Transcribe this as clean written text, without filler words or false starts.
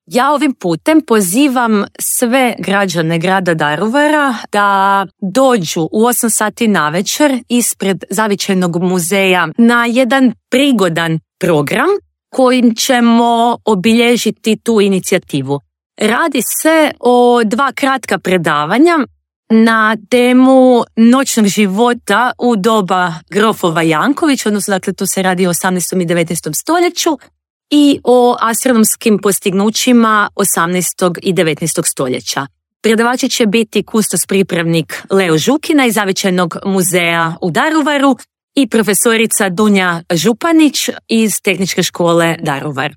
Ja ovim putem pozivam sve građane grada Daruvara da dođu u 8 sati navečer ispred Zavičajnog muzeja na jedan prigodan program kojim ćemo obilježiti tu inicijativu. Radi se o 2 kratka predavanja na temu noćnog života u doba grofova Janković, odnosno dakle tu se radi o 18. i 19. stoljeću, i o astronomskim postignućima 18. i 19. stoljeća. Predavači će biti kustos pripravnik Leo Žukina iz Zavičajnog muzeja u Daruvaru i profesorica Dunja Županić iz Tehničke škole Daruvar.